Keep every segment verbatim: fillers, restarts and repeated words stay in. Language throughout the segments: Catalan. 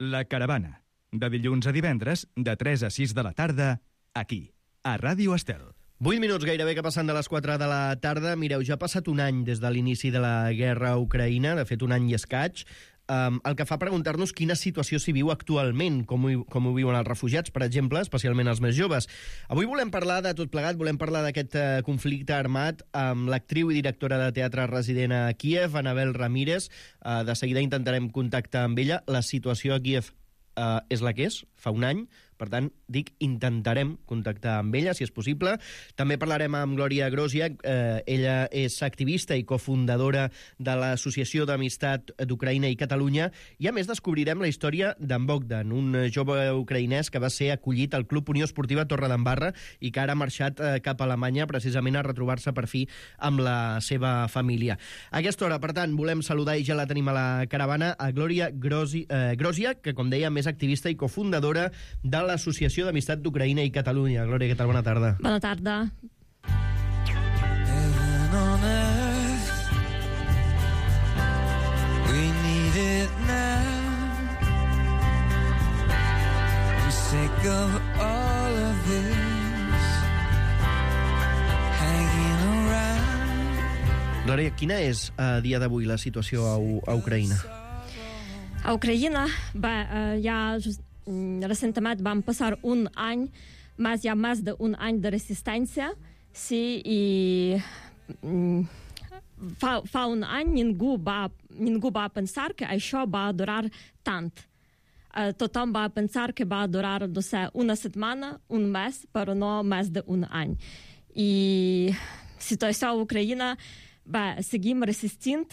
La Caravana, de dilluns a divendres, de tres a sis de la tarda, aquí, a Ràdio Estel. vuit minuts gairebé que passen de les quatre de la tarda. Mireu, ja ha passat un any des de l'inici de la guerra a Ucraïna, de fet un any i escaig, um, el que fa preguntar-nos quina situació s'hi viu actualment, com ho, com ho viuen els refugiats, per exemple, especialment els més joves. Avui volem parlar de tot plegat, volem parlar d'aquest uh, conflicte armat amb l'actriu i directora de teatre resident a Kíev, Anabel Ramírez. Uh, de seguida intentarem contactar amb ella. La situació a Kíev uh, és la que és, fa un any. Per tant, dic, intentarem contactar amb ella, si és possible. També parlarem amb Glòria Groziak. Eh, ella és activista i cofundadora de l'Associació d'Amistat d'Ucraïna i Catalunya. I, a més, descobrirem la història d'en Bogdan, un jove ucraïnès que va ser acollit al Club Unió Esportiva Torredembarra i que ara ha marxat eh, cap a Alemanya precisament a retrobar-se per fi amb la seva família. A aquesta hora, per tant, volem saludar, i ja la tenim a la caravana, a Glòria Grozi, eh, Groziak, que, com dèiem, és activista i cofundadora de la l'Associació d'Amistat d'Ucraïna i Catalunya. Glòria, què tal? Bona tarda. Bona tarda. Heaven on earth, we need it now. I'm sick of all of this hanging around. Glòria, quina és a dia d'avui la situació a, U a Ucraïna? A Ucraïna, bé, ja just, recentment vam passar un any, més, ja més d'un any de resistència, sí, i fa, fa un any ningú va, ningú va pensar que això va durar tant. Uh, tothom va pensar que va durar, no sé, una setmana, un mes, però no més d'un any. I situació a Ucraïna, bé, seguim resistint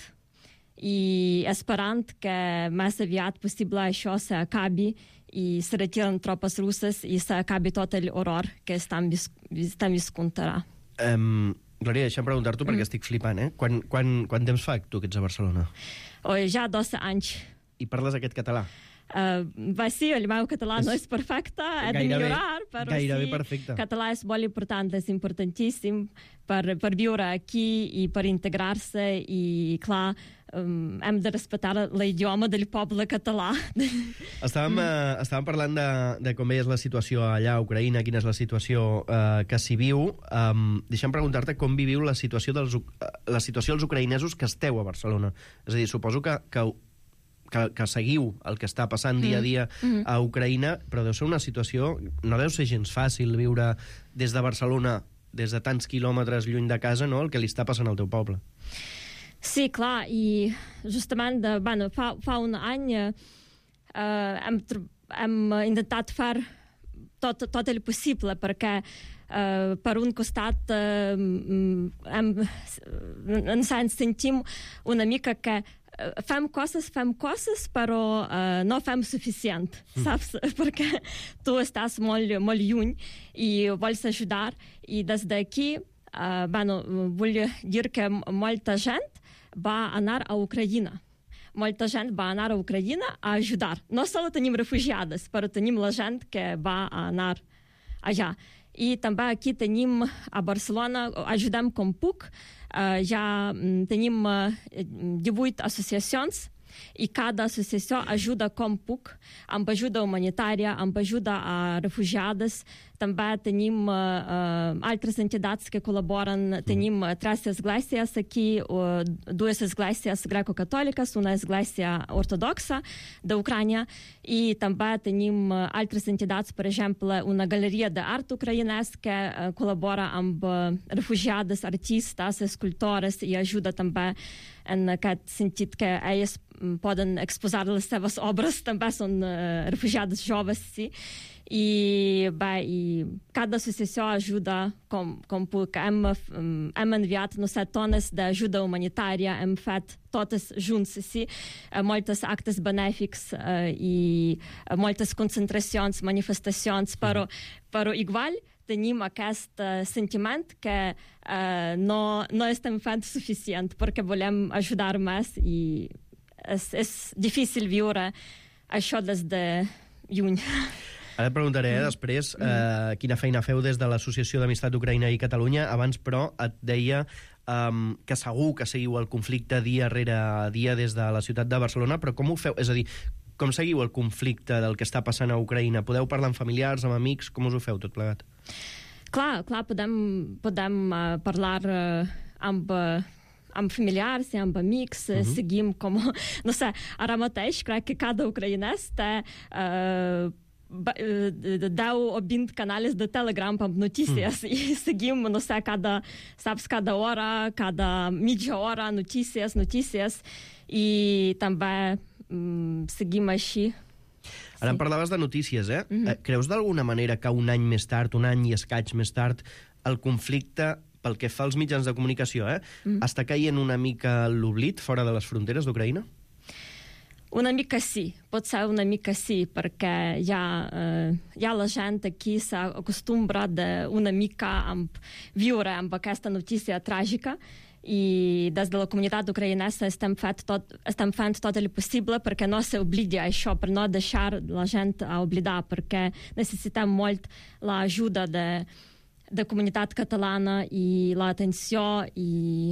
i esperant que més aviat possible això s'acabi i se retiren tropes russes i s'acabi tot l'horror que estem, vis estem viscut ara. Um, Glòria, deixa'm preguntar-t'ho perquè mm. estic flipant, eh? Quan, quan, quan temps fa tu que ets a Barcelona? Oh, ja dos anys. I parles aquest català? Uh, va, sí, el meu català és no és perfecte, he de millorar, però gairebé sí, perfecte. Català és molt important, és importantíssim per, per viure aquí i per integrar-se i, clar, um, hem de respectar l'idioma del poble català. Estàvem, mm. uh, estàvem parlant de, de com és la situació allà a Ucraïna, quina és la situació uh, que s'hi viu. Um, deixa'm preguntar-te com viviu la situació, dels, uh, la situació dels ucraïnesos que esteu a Barcelona. És a dir, suposo que, que Que, que seguiu el que està passant mm. dia a dia mm. a Ucraïna, però deu ser una situació, no deu ser gens fàcil viure des de Barcelona, des de tants quilòmetres lluny de casa, no?, el que li està passant al teu poble. Sí, clar, i justament de, bueno, fa, fa un any eh, hem, hem intentat fer tot, tot el possible perquè eh, per un costat eh, hem, ens sentim una mica que fem coses, fem coses, però uh, no fem suficient, mm. saps? Perquè tu estàs molt, molt lluny i vols ajudar, i des d'aquí, uh, bueno, vull dir que molta gent va anar a Ucraïna. Molta gent va anar a Ucraïna a ajudar. No sols tenim refugiades, però tenim la gent que va anar allà. I també aquí tenim a Barcelona, ajudem com puc, uh, ja tenim uh, divuit associacions i cada associació ajuda com puc, amb ajuda humanitària, amb ajuda a refugiades. També tenim uh, uh, altres entitats que col·laboren. Tenim uh, tres esglésies aquí, uh, dues esglésies greco-catòliques, una església ortodoxa d'Ucrània, i també tenim uh, altres entitats, per exemple, una galeria d'art ucraïnès que uh, col·labora amb uh, refugiades, artistes, escultores, i ajuda també en aquest sentit que elles poden exposar les seves obres, també són uh, refugiades joves, sí. I, bé, i cada associació ajuda com, com puc. Hem, hem enviat, no sé, tones d'ajuda humanitària, hem fet totes junts, sí, moltes actes benèfics uh, i moltes concentracions, manifestacions, però, però igual tenim aquest uh, sentiment que uh, no, no estem fent suficient perquè volem ajudar més i és, és difícil viure això des de lluny. Ara et preguntaré eh, després eh, quina feina feu des de l'Associació d'Amistat d'Ucraïna i Catalunya. Abans, però, et deia um, que segur que seguiu el conflicte dia rere dia des de la ciutat de Barcelona, però com ho feu? És a dir, Com seguiu el conflicte del que està passant a Ucraïna? Podeu parlar amb familiars, amb amics? Com us ho feu tot plegat? Clar, clar, podem, podem uh, parlar uh, amb... Uh, amb familiars i amb amics, uh-huh. seguim com... No sé, ara mateix crec que cada ucraïnès té uh, deu o vint canals de Telegram amb notícies uh-huh. i seguim, no sé, cada, saps, cada hora, cada mitja hora, notícies, notícies, i també um, seguim així. Ara sí. em parlaves de notícies, eh? Uh-huh. Creus d'alguna manera que un any més tard, un any i escaig més tard, el conflicte, pel que fa als mitjans de comunicació, eh, mm. està caient una mica l'oblit fora de les fronteres d'Ucraïna? Una mica sí, pot ser una mica sí, perquè ja, eh, ja la gent aquí s'ha acostumbrat una mica a viure amb aquesta notícia tràgica, i des de la comunitat ucraïnesa estem, fet tot, estem fent tot el possible perquè no s'oblidi això, per no deixar la gent a oblidar, perquè necessitem molt l'ajuda de de comunitat catalana i l'atenció i...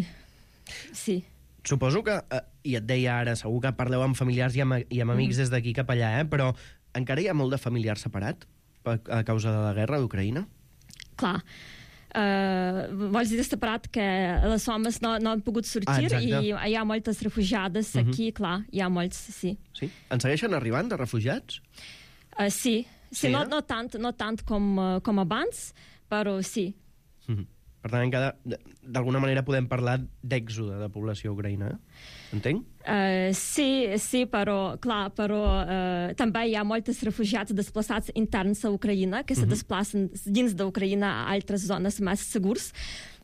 Sí. Suposo que, eh, i et deia ara, segur que parleu amb familiars i amb, i amb amics mm. des d'aquí cap allà, eh? Però encara hi ha molt de familiar separat a causa de la guerra d'Ucraïna? Clar. Uh, vols dir separat que les homes no, no han pogut sortir ah, i hi ha moltes refugiades uh-huh. aquí, clar, hi ha molts, sí. Sí? En segueixen arribant de refugiats? Uh, sí, sí, sí no, eh? no tant, no tant com, uh, com abans, però sí. Mm-hmm. Per tant, encara, d'alguna manera podem parlar d'èxode de població ucraïna, eh? Entenc? Uh, sí, sí, però, clar, però uh, també hi ha molts refugiats desplaçats interns a Ucraïna que mm-hmm. se desplacen dins d'Ucraïna a altres zones més segures,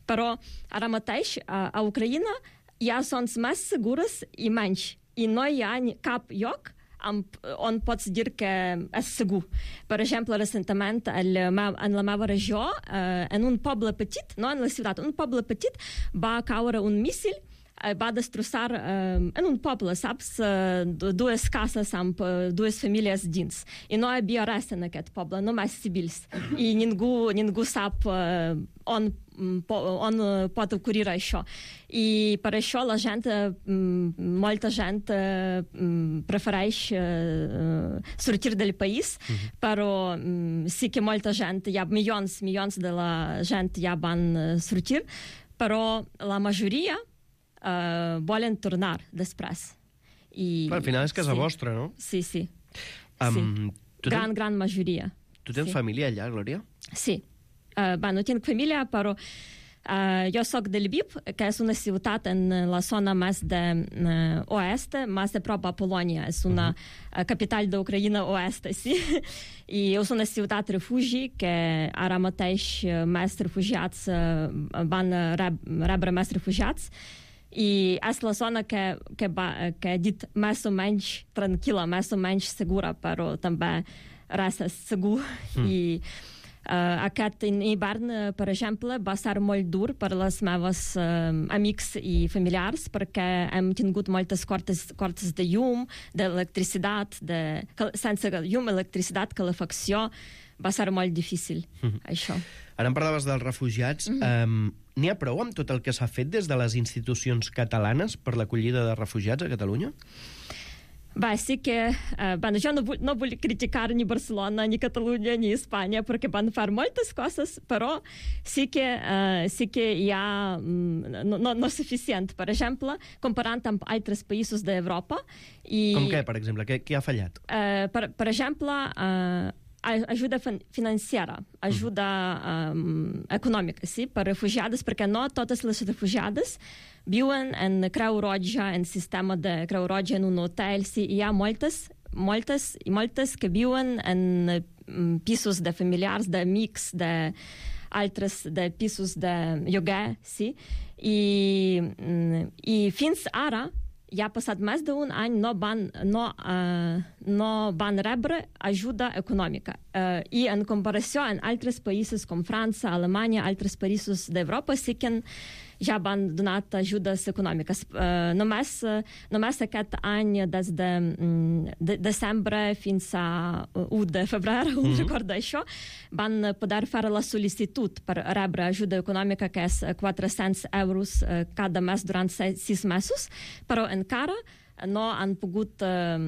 però ara mateix uh, a Ucraïna hi ha zones més segures i menys, i no hi ha cap lloc on pots dir que és segur. Per exemple, recentment, en la meva regió, en un poble petit, no en la ciutat, un poble petit, va caure un míssil, va destrossar en un poble, saps, dues cases amb dues famílies dins. I no hi havia res en aquest poble, només civils. I ningú, ningú sap on on pot ocorrir això. I per això la gent, molta gent prefereix sortir del país, uh-huh. però sí que molta gent, hi ha milions, milions de la gent ja van sortir, però la majoria uh, volen tornar després. I, al final és casa sí. vostra, no? Sí, sí. Um, sí. Gran, ten... gran majoria. Tu tens sí. família allà, Glòria? Sí. Uh, bé, no tinc família, però uh, jo soc de Lviv, que és una ciutat en la zona més de uh, oest, més de prop a Polònia. És una uh-huh. capital d'Ucraïna oest, sí. I és una ciutat refugi que ara mateix més refugiats uh, van reb rebre més refugiats. I és la zona que, que, va, que he dit més o menys tranquil·la, més o menys segura, però també res és segur. Mm. I Uh, aquest hivern, uh, per exemple, va ser molt dur per les meves uh, amics i familiars perquè hem tingut moltes cortes, cortes de llum, d'electricitat, de, sense llum, electricitat, calefacció. Va ser molt difícil, mm-hmm. això. Ara em parlaves dels refugiats. Mm-hmm. um, N'hi ha prou amb tot el que s'ha fet des de les institucions catalanes per l'acollida de refugiats a Catalunya? Bé, sí que... Uh, bueno, jo no vull, no vull criticar ni Barcelona, ni Catalunya, ni Espanya, perquè van fer moltes coses, però sí que, uh, sí que hi ha... Um, no, no, no suficient. Per exemple, comparant amb altres països d'Europa... I, com què, per exemple? Què, què ha fallat? Uh, per, per exemple, uh, ajuda financera, ajuda um, econòmica, sí, per refugiades, perquè no totes les refugiades viuen en Creu Roja, en sistema de Creu Roja, en un hotel, sí, hi ha moltes, moltes i moltes que viuen en um, pisos de familiars, d'amics, de altres de pisos de lloguer, sí, i, um, i fins ara ja ha passat més d'un any, no van, no, uh, no van rebre ajuda econòmica. Uh, I en comparació amb altres països com França, Alemanya, altres països d'Europa, sí que ja van donat ajudes econòmiques. Uh, només, uh, només aquest any, des de, um, de desembre fins a u de febrer, un mm-hmm. record d'això, van poder fer la sol·licitud per rebre ajuda econòmica, que és quatre-cents euros uh, cada mes durant sis mesos, però encara no han pogut uh,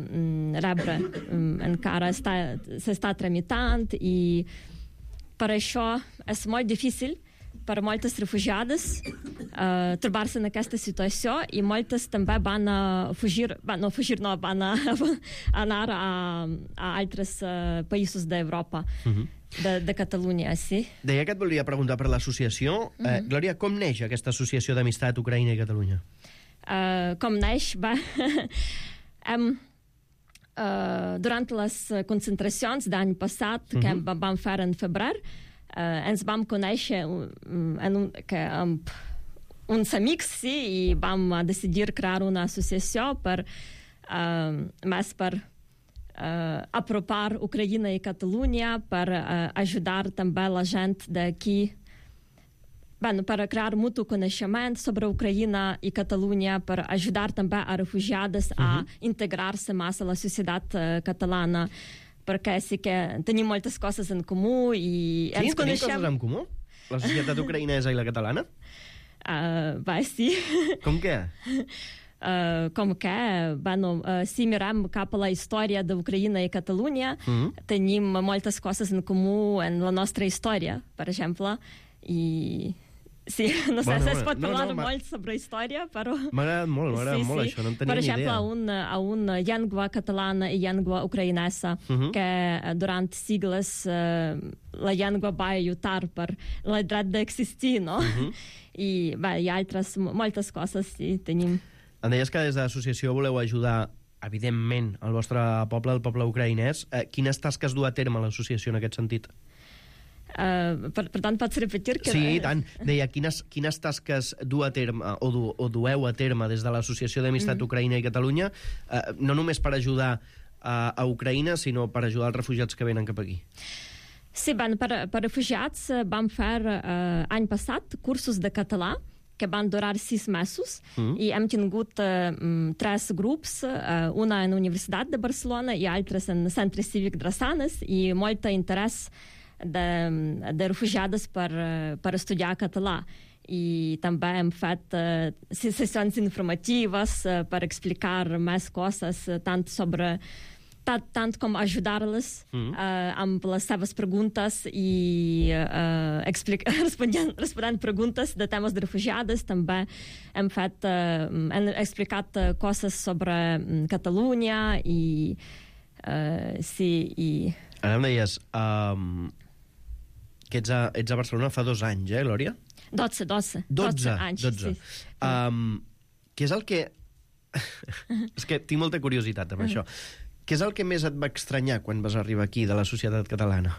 rebre. Um, encara està, s'està tramitant i per això és molt difícil per moltes refugiades uh, trobar-se en aquesta situació i moltes també van a fugir, van, no fugir, no, van a, a anar a, a altres uh, països d'Europa, uh-huh. de, de Catalunya, sí. Deia que et volia preguntar per l'associació. Uh-huh. eh, Glòria, com neix aquesta associació d'amistat Ucraïna i Catalunya? Uh, com neix? Va... hem, uh, durant les concentracions d'any passat, uh-huh. que vam fer en febrer, Uh, ens vam conèixer um, en un, que, um, uns amics, sí, i vam decidir crear una associació per, uh, més per uh, apropar Ucraïna i Catalunya, per uh, ajudar també la gent d'aquí, bueno, per crear mutu coneixement sobre Ucraïna i Catalunya, per ajudar també a refugiades uh-huh. a integrar-se més a la societat uh, catalana, perquè sí que tenim moltes coses en comú i sí, ens coneixem... coses en comú? La societat ucraïnesa i la catalana? Uh, va, sí. Com què? Uh, com que, bueno, uh, si mirem cap a la història d'Ucraïna i Catalunya, mm-hmm. tenim moltes coses en comú en la nostra història, per exemple, i... Sí, no sé, bueno, es pot no, parlar no, molt sobre història, però... M'ha agradat molt, m'ha agradat sí, molt sí. això, no en tenia per ni exemple, idea. Per exemple, a una llengua catalana i llengua ucraïnesa, uh-huh. que durant sigles uh, la llengua va lluitar per el dret d'existir, no? Uh-huh. I bé, hi ha altres, moltes coses, sí, tenim. Em deies que des de l'associació voleu ajudar, evidentment, el vostre poble, el poble ucraïnès. Eh, quines tasques du a terme l'associació en aquest sentit? Uh, per, per tant, pots repetir? Que... Sí, i tant. Deia, quines, quines tasques du a terme, o, du, o dueu a terme des de l'Associació d'Amistat mm. Ucraïna i Catalunya, uh, no només per ajudar uh, a Ucraïna, sinó per ajudar els refugiats que venen cap aquí? Sí, ben, per, per refugiats vam fer uh, any passat cursos de català que van durar sis mesos mm. i hem tingut uh, tres grups, uh, una en la Universitat de Barcelona i altres en el Centre Cívic Drassanes, i molt interès de, de refugiades per, per estudiar català. I també hem fet uh, sessions informatives uh, per explicar més coses, uh, tant sobre tant, tant com ajudar-les mm. uh, amb les seves preguntes i uh, explic- responent, responent preguntes de temes de refugiades. També hem fet uh, hem explicat uh, coses sobre um, Catalunya i uh, sí, i... Ara em deies um, que ets a, ets a Barcelona fa dos anys, eh, Glòria? Dotze, dotze. Dotze, anys, dotze. Sí. Um, què és el que... és que tinc molta curiositat amb això. Què és el que més et va estranyar quan vas arribar aquí, de la societat catalana?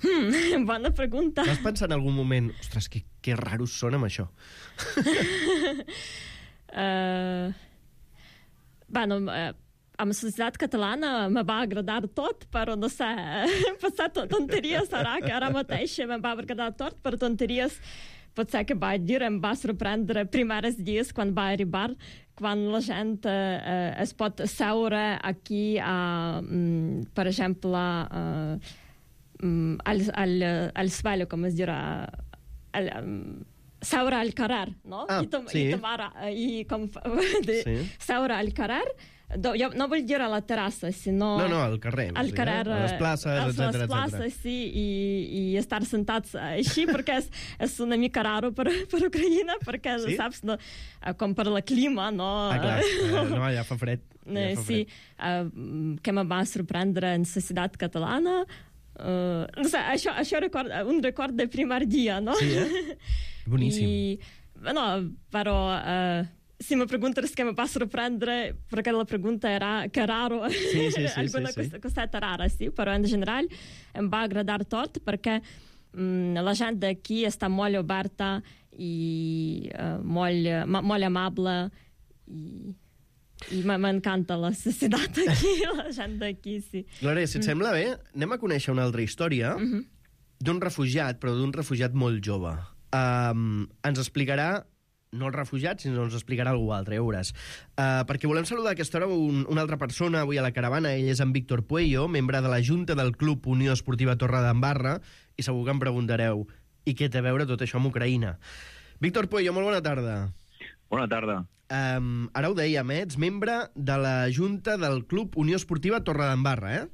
Hmm, bona pregunta. Vas pensar en algun moment, ostres, que, que raros són amb això? uh, bueno, uh, amb la societat catalana me va agradar tot, però no sé, passar tonteries, ara que ara mateix me va agradar tot, per tonteries potser que vaig dir, em va sorprendre primers dies quan va arribar, quan la gent eh, es pot seure aquí, a, mm, per exemple, eh, mm, al, al, al svelo, com es dirà, al, um, seure al carrer, no? Ah, I, tom, sí. i, tomar, i com, de, sí. seure al carrer. Do, jo no vull dir a la terrassa, sinó... No, no, al carrer. Al carrer, a les places, etcètera. A les places, sí, i, i estar sentats així, perquè és, és una mica raro per, per Ucraïna, perquè, sí? saps, no, com per la clima, no? Ah, clar, eh, no, ja fa fred. Ja fa sí, fred. Uh, que me va sorprendre en la societat catalana. Uh, no sé, això, això record, un record de primer dia, no? Sí, eh? Boníssim. I, no, però... Uh, si me preguntes què me va sorprendre, perquè la pregunta era que raro, sí, sí, sí, alguna sí, sí. coseta rara, sí, però en general em va agradar tot, perquè mm, la gent d'aquí està molt oberta i uh, molt, molt amable i, i m'encanta la societat aquí, la gent d'aquí, sí. Glòria, si et mm. sembla bé, anem a conèixer una altra història mm-hmm. d'un refugiat, però d'un refugiat molt jove. Um, ens explicarà no els refugiats, sinó ens explicarà algú altre, ja veuràs. Uh, perquè volem saludar a aquesta hora un, una altra persona avui a la caravana. Ell és en Víctor Puello, membre de la Junta del Club Unió Esportiva Torredembarra, i segur que em preguntareu i què té a veure tot això amb Ucraïna. Víctor Puello, molt bona tarda. Bona tarda. Um, ara ho dèiem, eh? Ets membre de la Junta del Club Unió Esportiva Torredembarra, eh?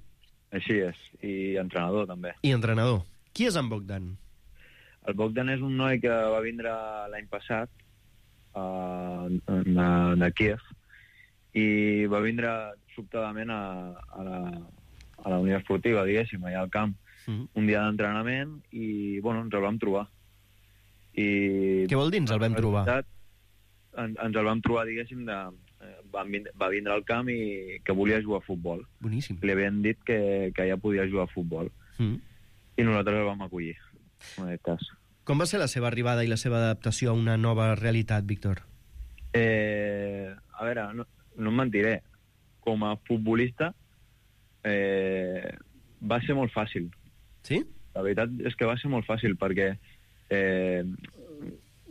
Així és, i entrenador també. I entrenador. Qui és en Bogdan? El Bogdan és un noi que va vindre l'any passat uh, de, de Kiev i va vindre sobtadament a, a, la, a la Unió Esportiva, diguéssim, allà al camp, mm. un dia d'entrenament i, bueno, ens el vam trobar. I, Què vol dir ens el vam trobar? En, ens el vam trobar, diguéssim, de, va, va vindre al camp i que volia jugar a futbol. Boníssim. Li havien dit que, que ja podia jugar a futbol. Mm. I nosaltres el vam acollir, en aquest cas. Com va ser la seva arribada i la seva adaptació a una nova realitat, Víctor? Eh, a veure, no, no em mentiré. Com a futbolista eh, va ser molt fàcil. Sí? La veritat és que va ser molt fàcil perquè eh,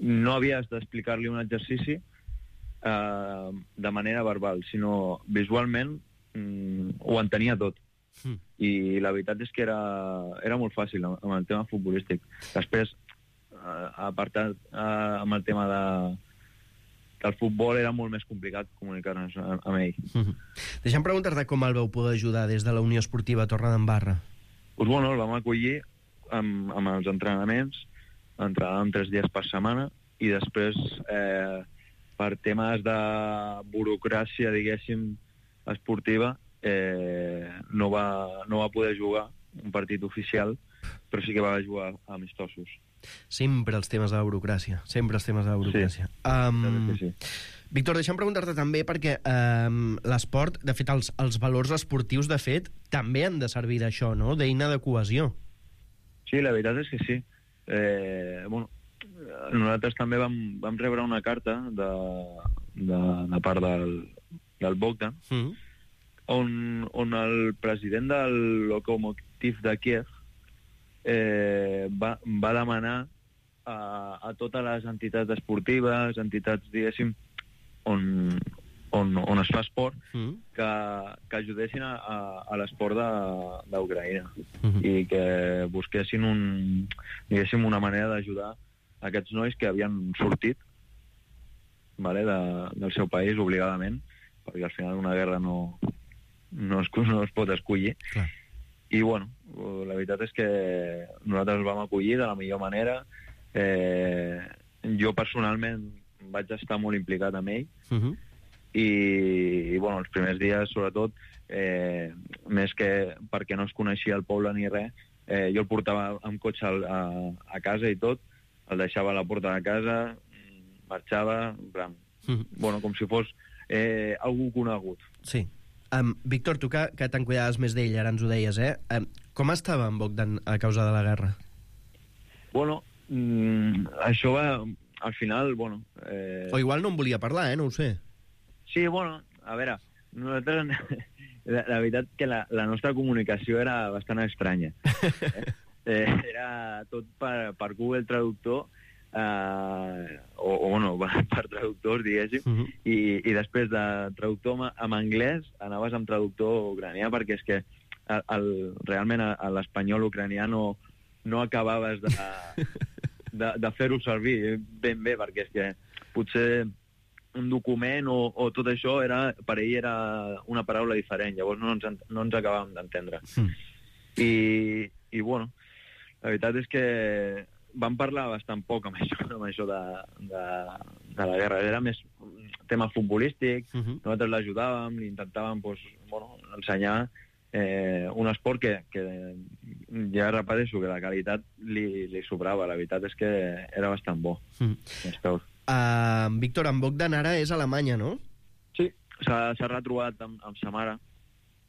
no havies d'explicar-li un exercici eh, de manera verbal, sinó visualment mm, ho entenia tot. Mm. I la veritat és que era, era molt fàcil amb el tema futbolístic. Després, eh, apartat eh, amb el tema de que el futbol era molt més complicat comunicar-nos amb ell. Mm-hmm. Deixa'm preguntar-te com el vau poder ajudar des de la Unió Esportiva Torredembarra. Pues bueno, el vam acollir amb, amb els entrenaments, entrenàvem tres dies per setmana i després eh, per temes de burocràcia, diguéssim, esportiva, eh, no, va, no va poder jugar un partit oficial, però sí que va jugar amistosos. Sempre els temes de la burocràcia, sempre els temes de la burocràcia. Sí, um, sí. Víctor, deixa'm preguntar-te també perquè um, l'esport, de fet, els, els valors esportius, de fet, també han de servir d'això, no?, d'eina de cohesió. Sí, la veritat és que sí. Eh, bueno, nosaltres també vam, vam rebre una carta de, de, de part del, del Bogdan, mm. on, on el president del Lokomotiv de Kiev eh, va, va demanar a, a totes les entitats esportives, entitats, diguéssim, on, on, on es fa esport, mm. que, que ajudessin a, a, a l'esport d'Ucraïna mm-hmm. i que busquessin un, diguéssim, una manera d'ajudar aquests nois que havien sortit, vale, de, del seu país obligadament, perquè al final una guerra no, no, es, no es pot escollir. Clar. I bueno, la veritat és que nosaltres el vam acollir de la millor manera. Eh, jo personalment vaig estar molt implicat amb ell, uh-huh. i, i bueno, els primers dies, sobretot, eh, més que perquè no es coneixia el poble ni res, eh, jo el portava amb cotxe a, a casa i tot, el deixava a la porta de casa, marxava, en plan, uh-huh. bueno, com si fos eh, algú conegut. Sí. Um, Víctor, tu que, que te'n cuidaves més d'ell, ara ens ho deies, eh? Um, com estava en Bogdan a causa de la guerra? Bueno, mm, això va... Al final, bueno... Eh... O igual no en volia parlar, eh? No ho sé. Sí, bueno, a veure, nosaltres... La, la veritat que la, la nostra comunicació era bastant estranya. Eh? Eh, era tot per, per Google Traductor, eh, o, o bueno, per traductors, diguéssim, uh-huh. i, i després de traductor amb anglès anaves amb traductor ucranià, perquè és que el, el, realment l'espanyol ucranià no, no acabaves de... de, de fer-ho servir ben bé, perquè és que potser un document o, o tot això era, per ell era una paraula diferent, llavors no ens, no ens acabàvem d'entendre. Mm. I, I, bueno, la veritat és que vam parlar bastant poc amb això, amb això de, de, de la guerra. Era més tema futbolístic, uh-huh. nosaltres l'ajudàvem, li intentàvem pues, bueno, ensenyar Eh, un esport que, que ja repeteixo que la qualitat li, li sobrava, la veritat és que era bastant bo. Mm. Uh, Víctor, en Bogdan ara és a Alemanya, no? Sí, s'ha retrobat amb, amb sa mare,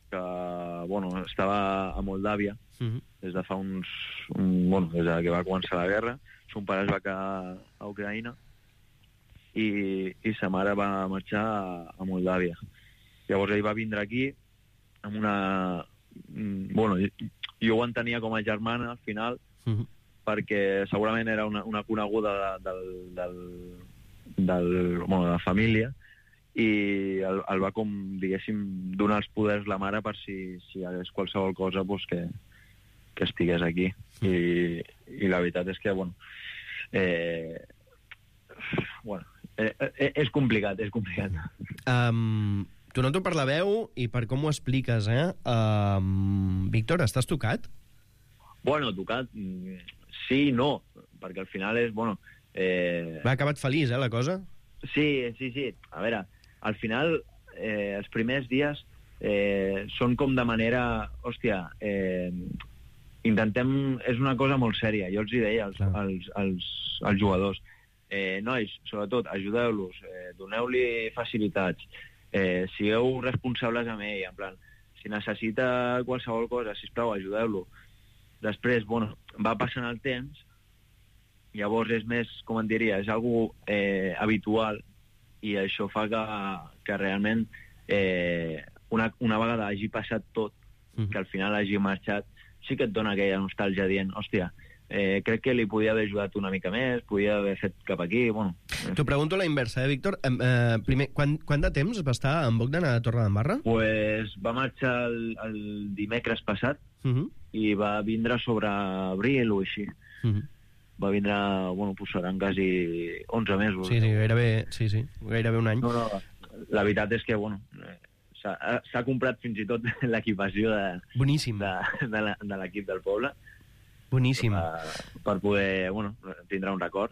que bueno, estava a Moldàvia mm-hmm. des de fa uns... Un, bueno, des de que va començar la guerra. Son pare es va quedar a Ucraïna i, i sa mare va marxar a, a Moldàvia. Llavors ell va vindre aquí amb una... Bueno, jo ho entenia com a germana, al final, uh-huh. perquè segurament era una, una coneguda de, del, del, del, bueno, de la família, i el, el va, com, diguéssim, donar els poders la mare per si, si hi hagués qualsevol cosa pues, que, que estigués aquí. Uh-huh. I, I la veritat és que, bueno, eh, bueno, eh, eh, és complicat, és complicat. Um, tu noto per la veu i per com ho expliques, eh? Um, Víctor, estàs tocat? Bueno, tocat, sí i no, perquè al final és, bueno... Eh... Va acabat feliç, eh, la cosa? Sí, sí, sí. A veure, al final, eh, els primers dies eh, són com de manera... Hòstia, eh, intentem... És una cosa molt sèria. Jo els hi deia als, als, als, als jugadors. Eh, nois, sobretot, ajudeu-los, eh, doneu-li facilitats, eh, sigueu responsables amb ell, en plan, si necessita qualsevol cosa, sisplau, ajudeu-lo. Després, bueno, va passant el temps, llavors és més, com en diria, és algo eh, habitual, i això fa que, que realment eh, una, una vegada hagi passat tot, mm. que al final hagi marxat, sí que et dona aquella nostàlgia dient, hòstia, eh, crec que li podia haver ajudat una mica més, podia haver fet cap aquí, bueno... T'ho pregunto a la inversa, eh, Víctor? Eh, eh, primer, quant, quant de temps va estar en Bogdan a Torredembarra? Pues va marxar el, el dimecres passat, uh -huh. i va vindre sobre abril o així. Uh -huh. Va vindre, bueno, pues seran quasi onze mesos. Sí, sí, gairebé, sí, sí, gairebé un any. No, no, la veritat és que, bueno, s'ha comprat fins i tot l'equipació de, Boníssim. de, de, de l'equip del poble. Boníssim. Per, per poder, bueno, tindre un record.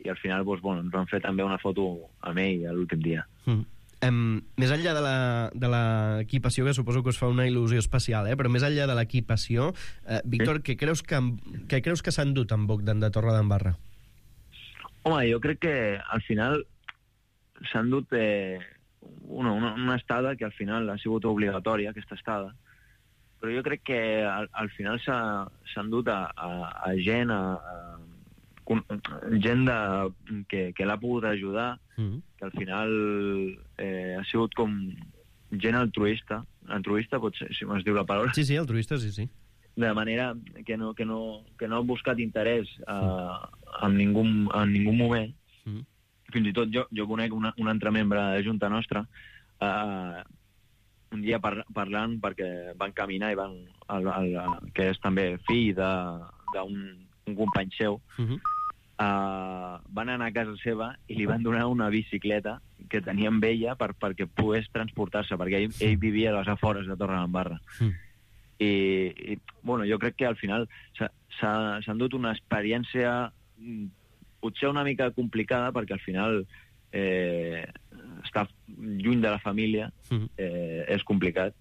I al final, doncs, bueno, ens van fer també una foto amb ell l'últim dia. Mm. Um, més enllà de l'equipació, que suposo que us fa una il·lusió especial, eh? Però més enllà de l'equipació, eh, Víctor, sí? què creus que, què creus que s'han dut amb Bogdan de Torredembarra? Home, jo crec que al final s'han dut eh, una, una, una estada que al final ha sigut obligatòria, aquesta estada, però jo crec que al, al final s'han dut a, a, a gent, a, a gent de, que, que l'ha pogut ajudar, mm. que al final eh, ha sigut com gent altruista, altruista pot ser, si m'has diu la paraula. Sí, sí, altruista, sí, sí. De manera que no, que no, que no ha buscat interès uh, en, ningú, en ningú moment. Mm. Fins i tot jo, jo conec una, un altre membre de Junta Nostra, uh, un dia par, parlant, perquè van caminar i van, el, el, que és també fill d'un un company seu, mm-hmm. Uh, van anar a casa seva i li van donar una bicicleta que tenia amb ella per, perquè pogués transportar-se, perquè ell, ell vivia a les afores de Torredembarra. Mm. I, I, bueno, jo crec que al final s'han dut una experiència potser una mica complicada, perquè al final eh, estar lluny de la família eh, és complicat.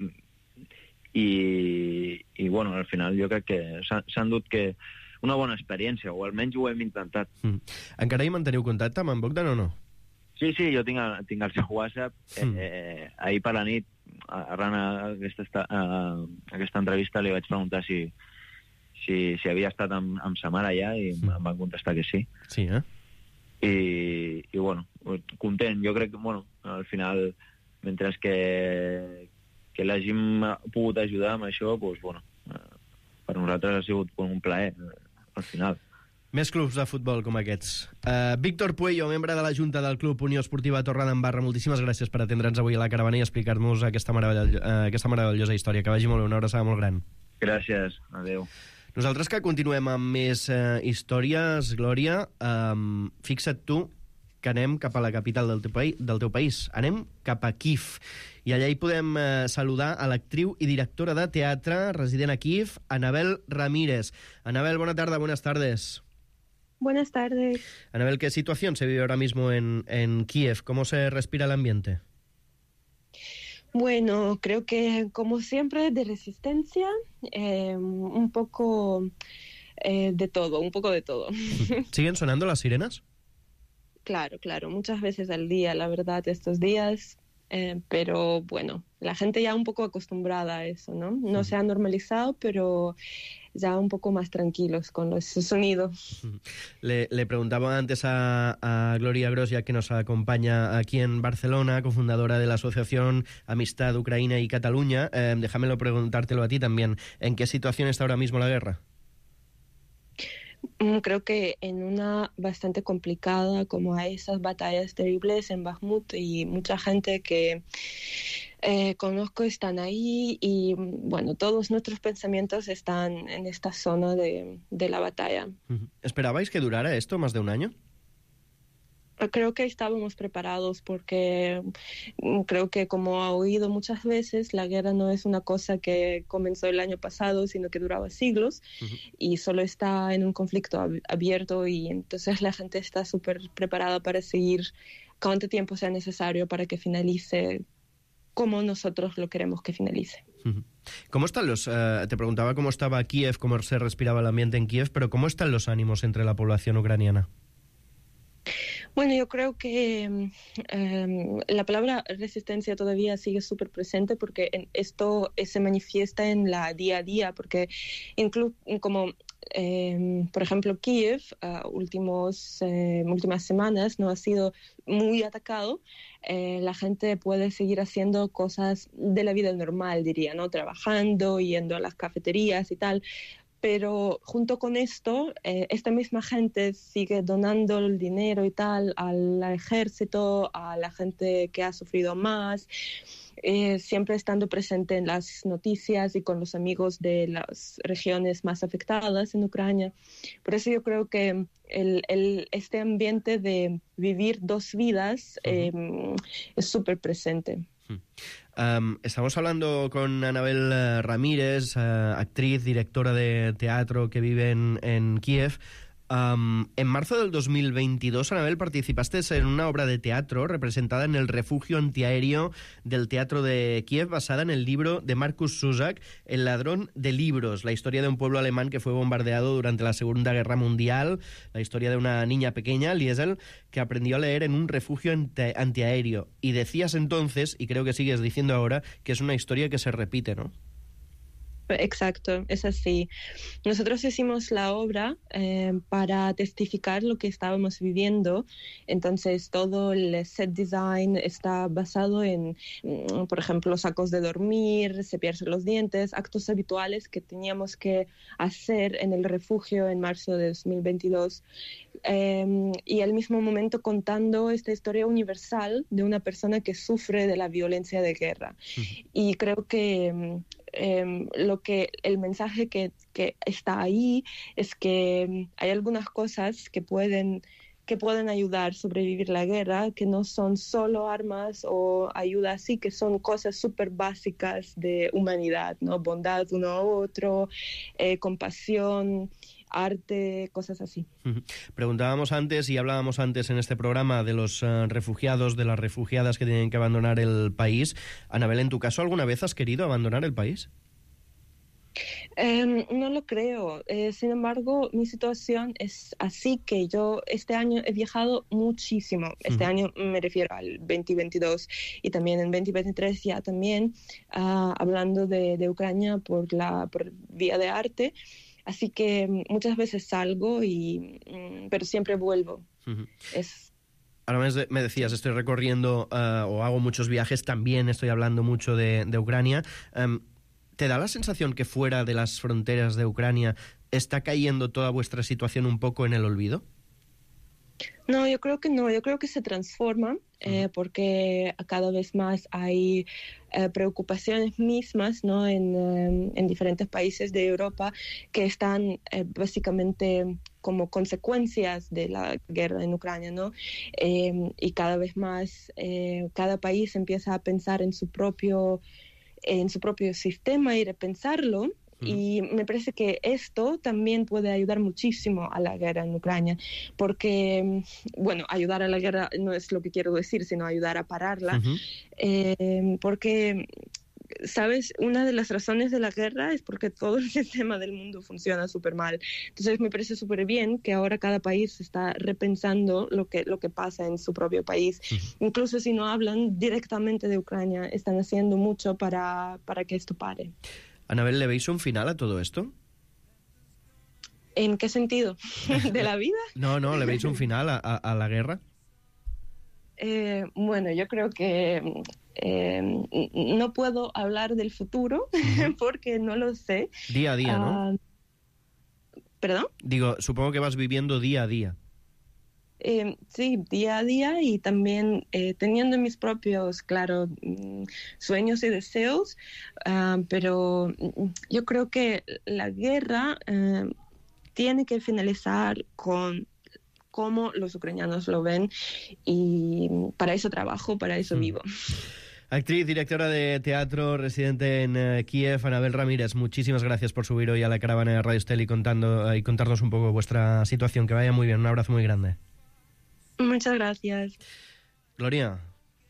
I, i, bueno, al final jo crec que s'han dut que una bona experiència, o almenys ho hem intentat. Mm. Encara hi manteniu contacte amb en Bogdan o no? Sí, sí, jo tinc el, tinc el seu WhatsApp. Mm. Eh, ahir per la nit, arran a aquesta, a aquesta entrevista, li vaig preguntar si, si, si havia estat amb, amb sa mare allà, i mm. em van contestar que sí. Sí, eh? I, i bueno, content. Jo crec que, bueno, al final, mentre que, que l'hàgim pogut ajudar amb això, doncs, bueno, per nosaltres ha sigut un plaer, al final. Més clubs de futbol com aquests. Uh, Víctor Puello, membre de la Junta del Club Unió Esportiva Torredembarra, moltíssimes gràcies per atendre'ns avui a la caravana i explicar-nos aquesta, meravell uh, aquesta meravellosa història. Que vagi molt bé, una abraçada molt gran. Gràcies, adeu. Nosaltres que continuem amb més uh, històries, Glòria, um, fixa't tu que anem cap a la capital del teu, país, del teu país. Anem cap a Kíev. I allà hi podem eh, saludar a l'actriu i directora de teatre resident a Kíev, Anabel Ramírez. Anabel, bona tarda, buenas tardes. Buenas tardes. Anabel, ¿qué situación se vive ahora mismo en, en Kíev? ¿Cómo se respira el ambiente? Bueno, creo que como siempre de resistencia, eh, un poco eh, de todo, un poco de todo. ¿Siguen sonando las sirenas? Claro, claro, muchas veces al día, la verdad, estos días, eh, pero bueno, la gente ya un poco acostumbrada a eso, ¿no? No se ha normalizado, pero ya un poco más tranquilos con los sonidos. Le, le preguntaba antes a, a Gloria Grosja, que nos acompaña aquí en Barcelona, cofundadora de la Asociación Amistad Ucrania y Cataluña. Eh, déjamelo preguntártelo a ti también. ¿En qué situación está ahora mismo la guerra? Creo que en una bastante complicada, como hay esas batallas terribles en Bakhmut, y mucha gente que eh, conozco están ahí, y bueno, todos nuestros pensamientos están en esta zona de, de la batalla. ¿Esperabais que durara esto más de un año? Creo que estábamos preparados porque creo que, como ha oído muchas veces, la guerra no es una cosa que comenzó el año pasado, sino que duraba siglos uh-huh. y solo está en un conflicto ab- abierto y entonces la gente está súper preparada para seguir cuánto tiempo sea necesario para que finalice como nosotros lo queremos que finalice. Uh-huh. ¿Cómo están los...? Uh, te preguntaba cómo estaba Kiev, cómo se respiraba el ambiente en Kiev, pero ¿cómo están los ánimos entre la población ucraniana? Bueno, yo creo que eh, la palabra resistencia todavía sigue súper presente porque en esto se manifiesta en la día a día, porque incluso como, eh, por ejemplo, Kiev, uh, últimos, eh, últimas semanas no ha sido muy atacado, eh, la gente puede seguir haciendo cosas de la vida normal, diría, ¿no? Trabajando, yendo a las cafeterías y tal. Pero junto con esto, eh, esta misma gente sigue donando el dinero y tal al ejército, a la gente que ha sufrido más, eh, siempre estando presente en las noticias y con los amigos de las regiones más afectadas en Ucrania. Por eso yo creo que el, el, este ambiente de vivir dos vidas eh, uh-huh. es súper presente. Um, estamos hablando con Anabel Ramírez, uh, actriz, directora de teatro que vive en, en Kiev. Um, en marzo del dos mil veintidós, Anabel, participaste en una obra de teatro representada en el refugio antiaéreo del Teatro de Kiev, basada en el libro de Markus Zusak, El ladrón de libros, la historia de un pueblo alemán que fue bombardeado durante la Segunda Guerra Mundial, la historia de una niña pequeña, Liesel, que aprendió a leer en un refugio anti- antiaéreo. Y decías entonces, y creo que sigues diciendo ahora, que es una historia que se repite, ¿no? Exacto, es así. Nosotros hicimos la obra eh, para testificar lo que estábamos viviendo. Entonces, todo el set design está basado en, por ejemplo, sacos de dormir, cepillarse los dientes, actos habituales que teníamos que hacer en el refugio en marzo de dos mil veintidós. Eh, y al mismo momento contando esta historia universal de una persona que sufre de la violencia de guerra. Uh-huh. Y creo que eh, lo que el mensaje que, que está ahí es que hay algunas cosas que pueden que pueden ayudar a sobrevivir la guerra, que no son solo armas o ayuda así, que son cosas súper básicas de humanidad, ¿no? Bondad uno a otro, eh, compasión, arte, cosas así. Preguntábamos antes y hablábamos antes en este programa de los uh, refugiados, de las refugiadas que tienen que abandonar el país. Anabel, ¿en tu caso alguna vez has querido abandonar el país? Eh, no lo creo. Eh, sin embargo, mi situación es así que yo este año he viajado muchísimo. Este uh-huh. año me refiero al veinte veintidós y también en veinte veintitrés ya también uh, hablando de, de Ucrania por la por vía de arte. Así que muchas veces salgo, y, pero siempre vuelvo. Uh-huh. Es... Ahora me decías, estoy recorriendo uh, o hago muchos viajes, también estoy hablando mucho de, de Ucrania. Um, ¿Te da la sensación que fuera de las fronteras de Ucrania está cayendo toda vuestra situación un poco en el olvido? No, yo creo que no, yo creo que se transforma eh, porque cada vez más hay eh, preocupaciones mismas, ¿no? en, eh, en diferentes países de Europa que están eh, básicamente como consecuencias de la guerra en Ucrania, ¿no? Eh, y cada vez más eh, cada país empieza a pensar en su propio, en su propio sistema y repensarlo. Y me parece que esto también puede ayudar muchísimo a la guerra en Ucrania, porque, bueno, ayudar a la guerra no es lo que quiero decir, sino ayudar a pararla, uh-huh. eh, porque, ¿sabes? Una de las razones de la guerra es porque todo el sistema del mundo funciona súper mal. Entonces me parece súper bien que ahora cada país está repensando lo que, lo que pasa en su propio país. Uh-huh. Incluso si no hablan directamente de Ucrania, están haciendo mucho para, para que esto pare. Anabel, ¿le veis un final a todo esto? ¿En qué sentido? ¿De la vida? No, no, ¿le veis un final a, a, a la guerra? Eh, bueno, yo creo que eh, no puedo hablar del futuro uh-huh. porque no lo sé. Día a día, ¿no? Uh, ¿Perdón? Digo, supongo que vas viviendo día a día. Eh, sí, día a día, y también eh, teniendo mis propios, claro, sueños y deseos, uh, pero yo creo que la guerra uh, tiene que finalizar con cómo los ucranianos lo ven, y para eso trabajo, para eso mm. vivo. Actriz, directora de teatro, residente en uh, Kiev, Anabel Ramírez, muchísimas gracias por subir hoy a la caravana de Radio Estel y, contando, uh, y contarnos un poco vuestra situación. Que vaya muy bien, un abrazo muy grande. Muchas gracias. Glòria,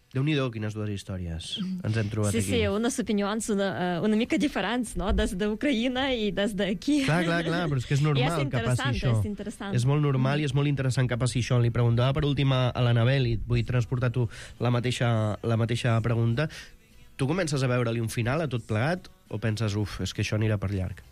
déu-n'hi-do quines dues històries ens hem trobat sí, aquí. Sí, sí, unes opinions una, una mica diferents, no? Des d'Ucraïna i des d'aquí. Clar, clar, clar, però és que és normal és que passi això. És interessant. És molt normal i és molt interessant que passi això. Li preguntava per últim a l'Anabel, i vull transportar tu la mateixa, la mateixa pregunta. Tu comences a veure-li un final a tot plegat o penses, uf, és que això anirà per llarg?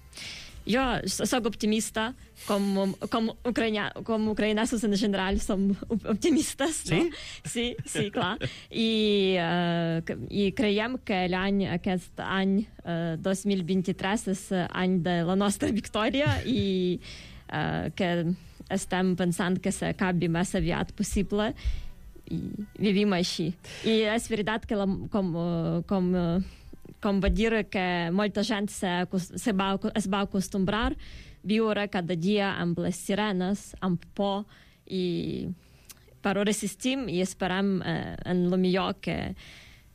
Jo soc optimista, com, com, ucraïna, com ucraïnesos en general som optimistes, no? Sí? Sí, sí, clar. I, uh, i creiem que l'any, aquest any uh, dos mil vint-i-tres és any de la nostra victòria i uh, que estem pensant que s'acabi més aviat possible i vivim així. I és veritat que la, com... com com va dir que molta gent se, se va, es va acostumbrar a viure cada dia amb les sirenes, amb por, i però resistim i esperem eh, en el millor que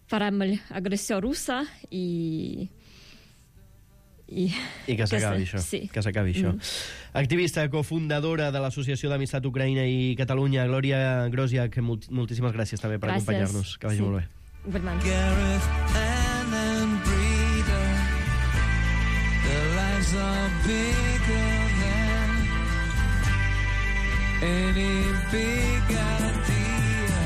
farem l'agressió russa i I, I que s'acabi això. Sí. Que s'acabi això. Mm. Activista, cofundadora de l'Associació d'Amistat Ucraïna i Catalunya, Glòria Grosiak, moltíssimes gràcies també per gràcies. acompanyar-nos. Que vagi sí. molt bé. Gareth, Ann and Breda, their lives are bigger than any big idea.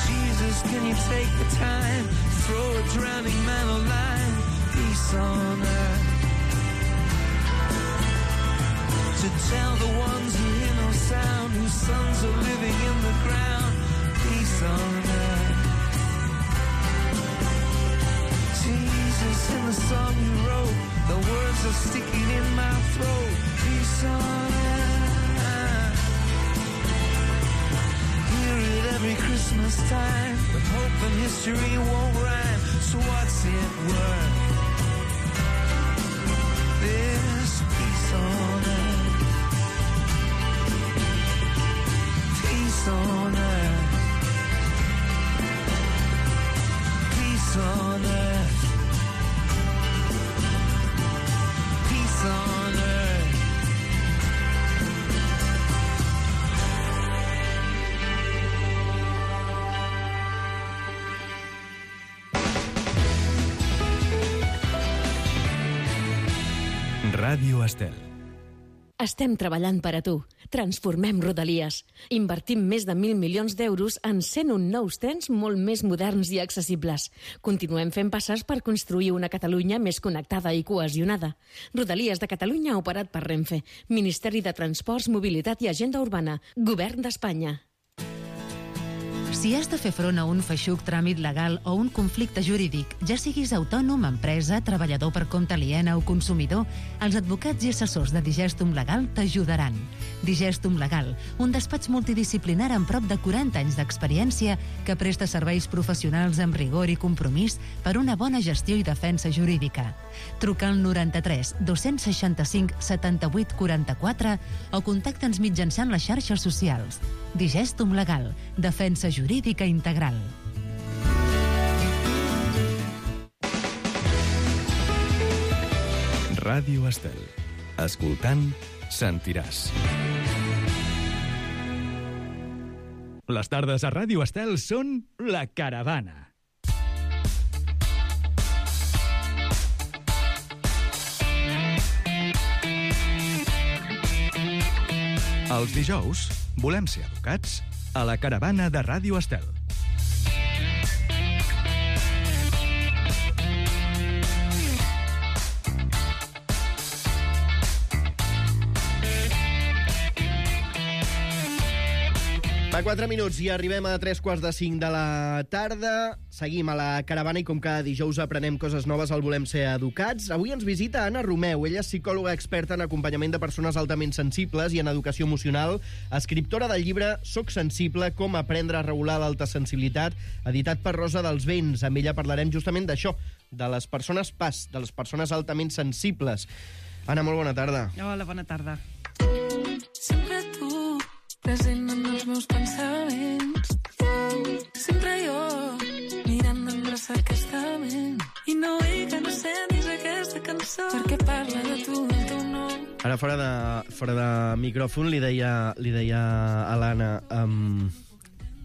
Jesus, can you take the time, throw a drowning man a line, peace on earth, to tell the ones who hear no sound, whose sons are living in the ground, peace on earth. Jesus, in the song you wrote, the words are sticking in my throat. Peace on earth. Hear it every Christmas time, but hope and history won't rhyme. So what's it worth? This peace on earth. Peace on earth. Peace on earth. On earth. Ràdio Estel. Estem treballant per a tu. Transformem Rodalies. Invertim més de mil milions d'euros en cent un nous trens molt més moderns i accessibles. Continuem fent passes per construir una Catalunya més connectada i cohesionada. Rodalies de Catalunya operat per Renfe. Ministeri de Transports, Mobilitat i Agenda Urbana. Govern d'Espanya. Si has de fer front a un feixuc tràmit legal o un conflicte jurídic, ja siguis autònom, empresa, treballador per compte aliena o consumidor, els advocats i assessors de Digestum Legal t'ajudaran. Digestum Legal, un despatx multidisciplinar amb prop de quaranta anys d'experiència que presta serveis professionals amb rigor i compromís per una bona gestió i defensa jurídica. Truca al noranta-tres dos-cents seixanta-cinc setanta-vuit quaranta-quatre o contacta'ns mitjançant les xarxes socials. Digestum Legal, defensa jurídica integral. Ràdio Estel. Escoltant, sentiràs. Les tardes a Ràdio Estel són La Caravana. Els dijous volem ser educats a La Caravana de Ràdio Estel. Fa quatre minuts i arribem a tres quarts de cinc de la tarda. Seguim a La Caravana i com cada dijous aprenem coses noves al Volem Ser Educats. Avui ens visita Anna Romeu. Ella és psicòloga experta en acompanyament de persones altament sensibles i en educació emocional, escriptora del llibre Soc sensible, com aprendre a regular l'alta sensibilitat, editat per Rosa dels Vents. Amb ella parlarem justament d'això, de les persones P A S, de les persones altament sensibles. Anna, molt bona tarda. Hola, bona tarda. Sempre tu, present en meus pensaments. Sempre jo, mirant d'endreçar aquesta ment. I no vull que no sentis aquesta cançó, perquè parla de tu, el teu nom. Ara, fora de, fora de micròfon, li deia, li deia a l'Anna... Um,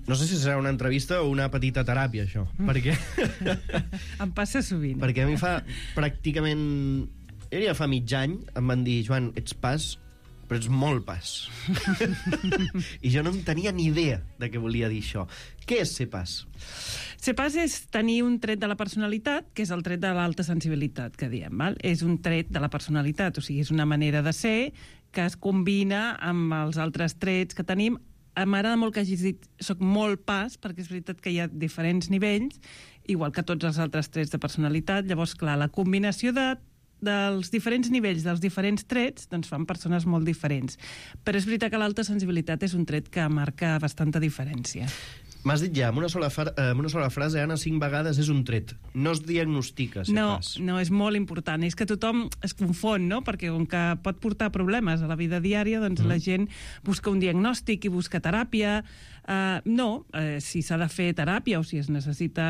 no sé si serà una entrevista o una petita teràpia, això. Mm. Perquè... em passa sovint. Perquè a mi fa pràcticament... Jo diria fa mig any em van dir, Joan, ets pas, però ets molt pas. I jo no en tenia ni idea de què volia dir això. Què és ser pas? Ser pas és tenir un tret de la personalitat, que és el tret de l'alta sensibilitat, que diem, val? És un tret de la personalitat, o sigui, és una manera de ser que es combina amb els altres trets que tenim. M'agrada molt que hagis dit soc molt pas, perquè és veritat que hi ha diferents nivells, igual que tots els altres trets de personalitat. Llavors, clar, la combinació de dels diferents nivells, dels diferents trets, doncs fan persones molt diferents. Però és veritat que l'alta sensibilitat és un tret que marca bastanta diferència. M'has dit ja, amb una sola, fra amb una sola frase, Anna, cinc vegades és un tret. No es diagnostica, ser no, pas. No, és molt important. És que tothom es confon, no? Perquè com que pot portar problemes a la vida diària, doncs mm. la gent busca un diagnòstic i busca teràpia. Uh, no, uh, si s'ha de fer teràpia o si es necessita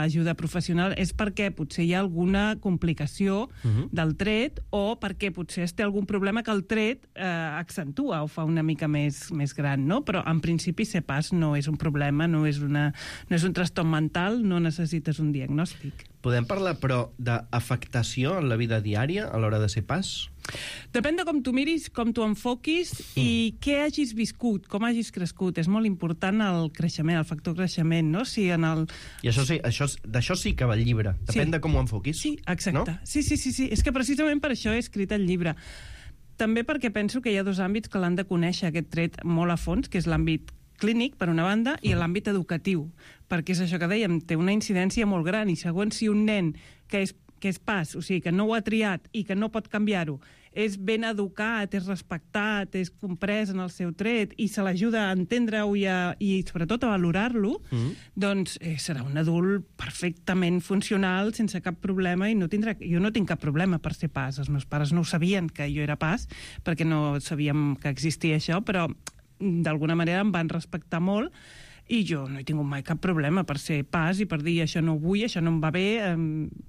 ajuda professional és perquè potser hi ha alguna complicació uh-huh. del tret o perquè potser es té algun problema que el tret uh, accentua o fa una mica més, més gran, no? Però en principi ser pas no és un problema, no és, una, no és un trastorn mental, no necessites un diagnòstic. Podem parlar, però, d'afectació en la vida diària a l'hora de ser pas? Depèn de com tu miris, com tu enfoquis mm. i què hagis viscut, com hagis crescut. És molt important el creixement, el factor creixement, no? Si en el... I això sí, això, d'això sí que va el llibre. Depèn sí. de com ho enfoquis. Sí, exacte. No? Sí, sí, sí, sí. És que precisament per això he escrit el llibre. També perquè penso que hi ha dos àmbits que l'han de conèixer, aquest tret molt a fons, que és l'àmbit clínic, per una banda, i l'àmbit educatiu, perquè és això que dèiem, té una incidència molt gran, i segons si un nen que és, que és pas, o sigui, que no ho ha triat i que no pot canviar-ho, és ben educat, és respectat, és comprès en el seu tret, i se l'ajuda a entendre-ho i, a, i sobretot a valorar-lo, mm. doncs eh, serà un adult perfectament funcional, sense cap problema, i no tindrà... Jo no tinc cap problema per ser pas. Els meus pares no ho sabien que jo era pas, perquè no sabíem que existia això, però d'alguna manera em van respectar molt i jo no he tingut mai cap problema per ser pas i per dir això no ho vull, això no em va bé, eh,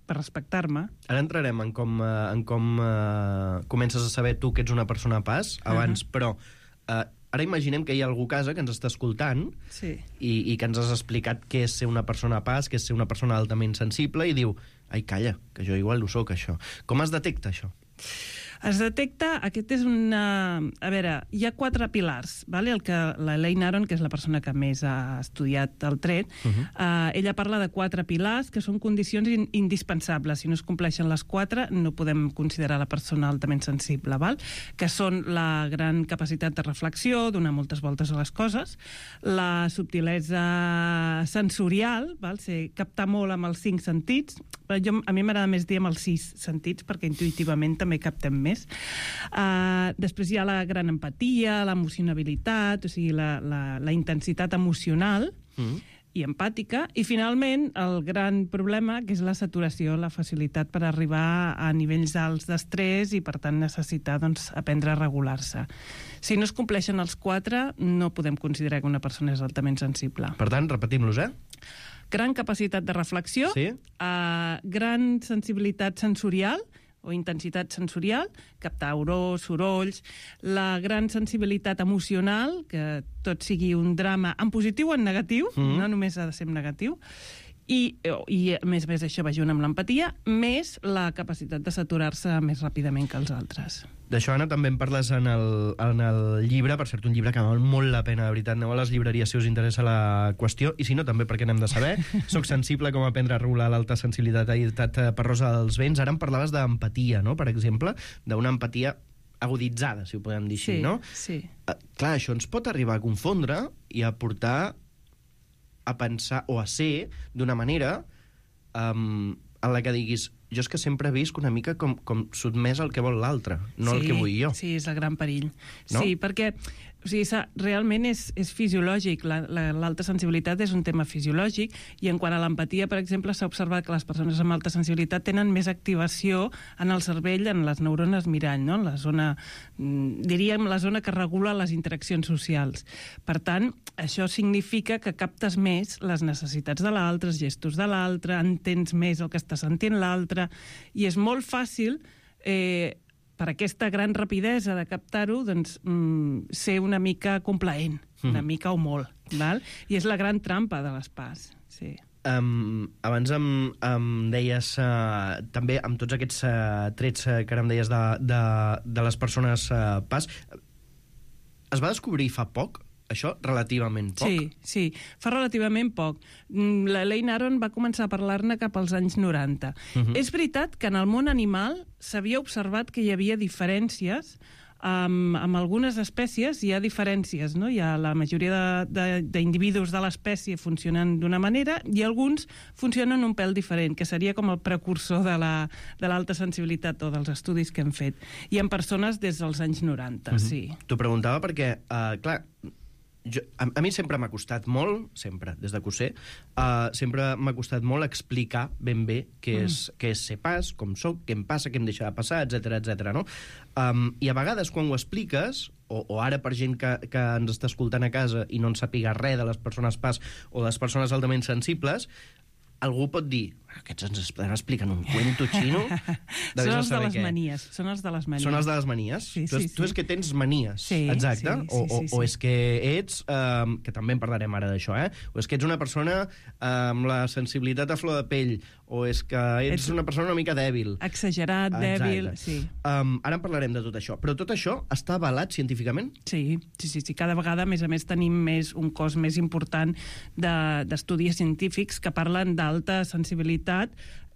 per respectar-me. Ara entrarem en com, eh, en com eh, comences a saber tu que ets una persona pas abans, uh-huh. però eh, ara imaginem que hi ha algú a casa que ens està escoltant sí. i, i que ens has explicat què és ser una persona pas, què és ser una persona altament sensible i diu, ai, calla, que jo igual ho soc, això. Com es detecta això? Es detecta, aquest és una... A veure, hi ha quatre pilars, vale? El que l'Elaine Aron, que és la persona que més ha estudiat el tret, uh-huh. eh, ella parla de quatre pilars que són condicions in indispensables. Si no es compleixen les quatre, no podem considerar la persona altament sensible, val? Que són la gran capacitat de reflexió, donar moltes voltes a les coses, la subtilesa sensorial, val? Ser, captar molt amb els cinc sentits. Jo, a mi m'agrada més dir amb els sis sentits, perquè intuïtivament també captem més. Uh, després hi ha la gran empatia, l'emocionabilitat, o sigui, la, la, la intensitat emocional mm. i empàtica, i finalment el gran problema, que és la saturació, la facilitat per arribar a nivells alts d'estrès i, per tant, necessitar doncs, aprendre a regular-se. Si no es compleixen els quatre, no podem considerar que una persona és altament sensible. Per tant, repetim-los, eh? Gran capacitat de reflexió, sí? uh, gran sensibilitat sensorial, o intensitat sensorial, captar olors, sorolls, la gran sensibilitat emocional, que tot sigui un drama en positiu o en negatiu, mm-hmm. no només ha de ser en negatiu, i, i a més a més això va junt amb l'empatia, més la capacitat de saturar-se més ràpidament que els altres. D'això, Anna, també en parles en el, en el llibre, per cert, un llibre que val molt la pena, de veritat. Aneu a les llibreries si us interessa la qüestió, i si no, també perquè n'hem de saber. Soc sensible, com aprendre a regular l'alta sensibilitat per Rosa dels Vents. Ara em parlaves d'empatia, no?, per exemple, d'una empatia aguditzada, si ho podem dir així, sí, no? Sí. Uh, clar, això ens pot arribar a confondre i a portar a pensar o a ser d'una manera um, en la que diguis jo és que sempre visc una mica com, com sotmès al que vol l'altre, no sí, el que vull jo. Sí, és el gran perill. No? Sí, perquè O sigui, realment és, és fisiològic. L'alta sensibilitat és un tema fisiològic i en quant a l'empatia, per exemple, s'ha observat que les persones amb alta sensibilitat tenen més activació en el cervell, en les neurones mirall, no? La zona, diríem, la zona que regula les interaccions socials. Per tant, això significa que captes més les necessitats de l'altre, els gestos de l'altre, entens més el que està sentint l'altre, i és molt fàcil eh, per aquesta gran rapidesa de captar-ho, doncs, mm, ser una mica complaent, mm. una mica o molt, val? I és la gran trampa de les P A S, sí. Um, abans em, em deies, uh, també, amb tots aquests uh, trets uh, que ara em deies de, de, de les persones uh, P A S, es va descobrir fa poc, això, relativament poc? Sí, sí, fa relativament poc. La Elaine Aron va començar a parlar-ne cap als anys noranta. Uh-huh. És veritat que en el món animal s'havia observat que hi havia diferències. Amb, amb algunes espècies hi ha diferències, no? Hi ha la majoria d'individus de, de, de l'espècie funcionen d'una manera i alguns funcionen un pèl diferent, que seria com el precursor de l'alta la, sensibilitat o dels estudis que hem fet. I en persones des dels anys noranta, uh-huh. sí. T'ho preguntava perquè, uh, clar, jo, a, a mi sempre m'ha costat molt, sempre, des de que ho sé, uh, sempre m'ha costat molt explicar ben bé què és, mm. què és ser P A S, com soc, què em passa, què em deixa de passar, etcètera, etcètera, no? Um, I a vegades, quan ho expliques, o, o ara per gent que, que ens està escoltant a casa i no en sàpiga res de les persones P A S o de les persones altament sensibles, algú pot dir, aquests ens estan explicant un cuento xino? Són els de les què. manies. Són els de les manies. Són els de les manies? Sí, tu, sí, tu és sí. que tens manies, sí, exacte? Sí, sí, o, o, sí, sí. o és que ets, um, que també en parlarem ara d'això, eh? O és que ets una persona amb la sensibilitat a flor de pell, o és que ets, ets una persona una mica dèbil. Exagerat, exacte. Dèbil, sí. Um, ara en parlarem de tot això. Però tot això està avalat científicament? Sí, sí, sí, sí. Cada vegada, a més a més, tenim més un cos més important d'estudis de, científics que parlen d'alta sensibilitat,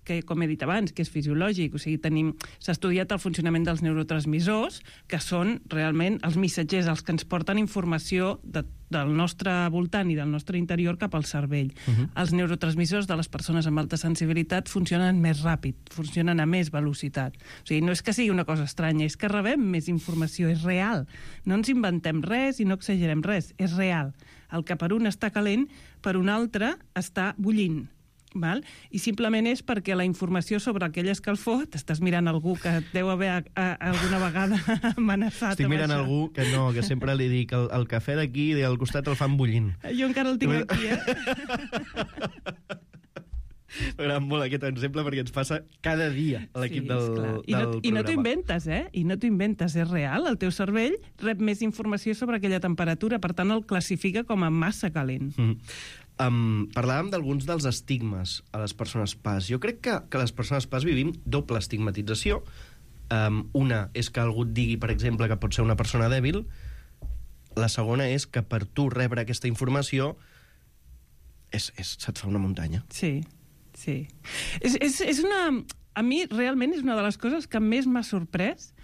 que, com he dit abans, que és fisiològic. O sigui, tenim, s'ha estudiat el funcionament dels neurotransmissors, que són realment els missatgers, els que ens porten informació de, del nostre voltant i del nostre interior cap al cervell. Uh-huh. Els neurotransmissors de les persones amb alta sensibilitat funcionen més ràpid, funcionen a més velocitat. O sigui, no és que sigui una cosa estranya, és que rebem més informació, és real. No ens inventem res i no exagerem res, és real. El que per un està calent, per un altre està bullint. Val? I simplement és perquè la informació sobre aquell escalfor, t'estàs mirant algú que et deu haver a, a, alguna vegada amenaçat. Estic mirant algú que no, que sempre li dic el, el cafè d'aquí i al costat el fan bullint. Jo encara el tinc aquí, eh? M'agrada molt aquest exemple perquè ens passa cada dia a l'equip sí, del, del I no, programa. I no t'ho inventes, eh? I no t'ho inventes, és real. El teu cervell rep més informació sobre aquella temperatura, per tant el classifica com a massa calent. Mm. Um, parlàvem d'alguns dels estigmes a les persones P A S. Jo crec que, que les persones P A S vivim doble estigmatització. Um, una és que algú et digui, per exemple, que pot ser una persona dèbil. La segona és que per tu rebre aquesta informació és, és, se't fa una muntanya. Sí, sí. És, és, és una... A mi, realment, és una de les coses que més m'ha sorprès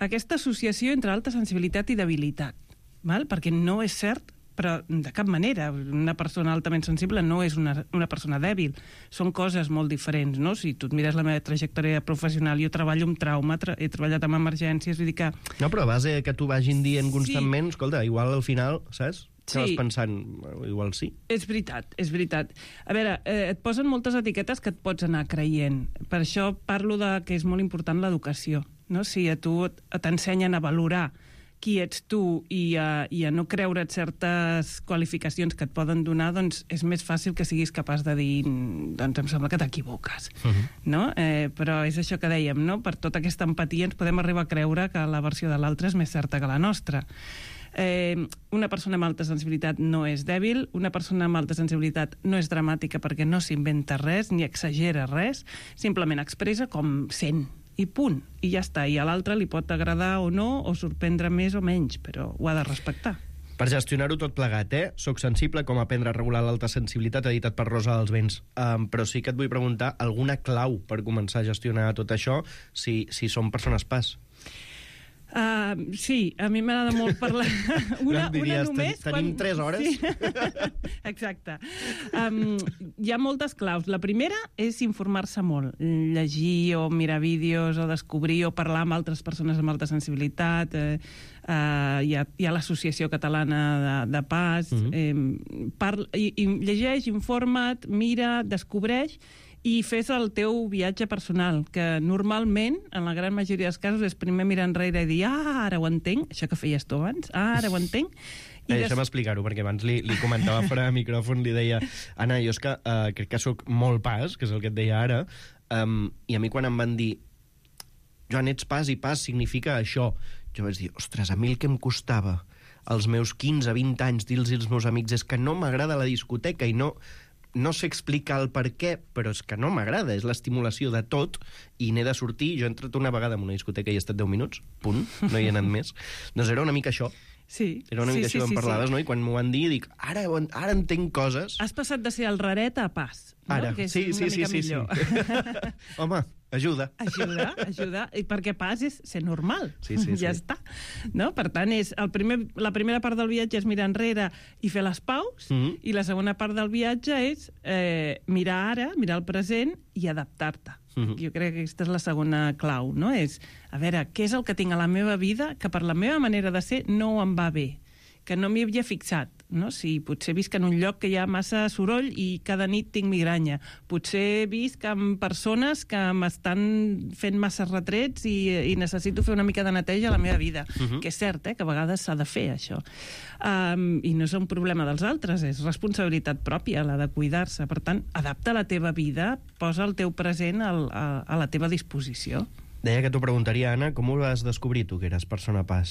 aquesta associació entre alta sensibilitat i debilitat. Val? Perquè no és cert, però de cap manera. Una persona altament sensible no és una, una persona dèbil. Són coses molt diferents, no? Si tu et mires la meva trajectòria professional, jo treballo amb trauma, tra he treballat amb emergències, vull dir que... No, però a base que tu vagin dient constantment, sí. Escolta, igual al final, saps? Estaves sí. pensant, igual sí. És veritat, és veritat. A veure, eh, et posen moltes etiquetes que et pots anar creient. Per això parlo de que és molt important l'educació, no? Si a tu t'ensenyen a valorar qui ets tu i a, i a no creure't certes qualificacions que et poden donar, doncs és més fàcil que siguis capaç de dir doncs em sembla que t'equivoques. Uh-huh. No? Eh, però és això que dèiem, no? Per tota aquesta empatia ens podem arribar a creure que la versió de l'altre és més certa que la nostra. Eh, una persona amb alta sensibilitat no és dèbil, una persona amb alta sensibilitat no és dramàtica perquè no s'inventa res ni exagera res, simplement expressa com sent, i punt, i ja està. I a l'altre li pot agradar o no, o sorprendre més o menys, però ho ha de respectar. Per gestionar-ho tot plegat, eh? Soc sensible, com aprendre a regular l'alta sensibilitat, editat per Rosa dels Vents. Um, però sí que et vull preguntar alguna clau per començar a gestionar tot això si, si som persones P A S. Uh, sí, a mi m'agrada molt parlar. Una, diries, una només... ten, tenim tres hores. Sí. Exacte. Um, hi ha moltes claus. La primera és informar-se molt. Llegir o mirar vídeos o descobrir o parlar amb altres persones amb alta sensibilitat. Eh, uh, hi ha, hi ha l'Associació Catalana de, de Pas. Uh-huh. eh, parla, i, i llegeix, informa't, mira, descobreix i fes el teu viatge personal, que normalment, en la gran majoria dels casos, és primer mirar enrere i dir, ah, ara ho entenc, això que feies tu abans, ah, ara ho entenc. I eh, deixa'm des... explicar-ho, perquè abans li, li comentava fora de micròfon, li deia, Anna, jo és que uh, crec que sóc molt pas, que és el que et deia ara, um, i a mi quan em van dir, Joan, ets pas i pas significa això, jo vaig dir, ostres, a mi el que em costava als meus quinze, vint anys dir-los als meus amics és que no m'agrada la discoteca i no... no sé explicar el per què, però és que no m'agrada, és l'estimulació de tot, i n'he de sortir. Jo he entrat una vegada en una discoteca i he estat deu minuts, punt, no hi he anat més. Doncs era una mica això. Sí. Era una mica sí, això sí, que em parlaves, sí. no? I quan m'ho van dir, dic, ara, ara entenc coses. Has passat de ser el raret a pas, no? Ara, que és sí, una sí, mica sí, sí, millor. sí. Home, ajuda. Ajuda, ajuda. I perquè pas és ser normal. Sí, sí, ja sí. està. No? Per tant, és el primer, la primera part del viatge és mirar enrere i fer les paus, Mm-hmm. i la segona part del viatge és eh, mirar ara, mirar el present i adaptar-te. Mm-hmm. Jo crec que aquesta és la segona clau, no? És, a veure, què és el que tinc a la meva vida que per la meva manera de ser no em va bé, que no m'hi havia fixat, no? Si potser visc en un lloc que hi ha massa soroll i cada nit tinc migranya. Potser visc amb persones que m'estan fent massa retrets i, i necessito fer una mica de neteja a la meva vida. Uh-huh. Que és cert, eh, que a vegades s'ha de fer, això. Um, I no és un problema dels altres, és responsabilitat pròpia, la de cuidar-se. Per tant, adapta la teva vida, posa el teu present al, a, a la teva disposició. Deia que t'ho preguntaria, Anna, com ho vas descobrir tu, que eres persona pas?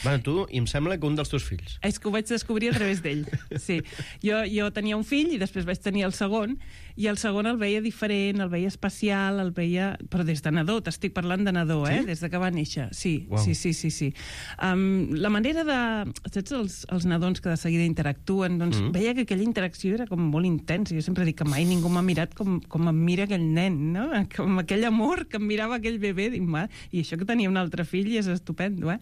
Bueno, tu, i em sembla que un dels teus fills. És que ho vaig descobrir a través d'ell, sí. Jo, jo tenia un fill i després vaig tenir el segon, i el segon el veia diferent, el veia especial, el veia... Però des de nadó, t'estic parlant de nadó, eh? Sí? Des de que va néixer, sí, wow. sí, sí, sí. sí. Um, la manera de... Saps els, els nadons que de seguida interactuen? Doncs mm. veia que aquella interacció era com molt intensa. Jo sempre dic que mai ningú m'ha mirat com, com em mira aquell nen, no? Com aquell amor que em mirava aquell bebè. Dic, i això que tenia un altre fill i és estupendo, eh?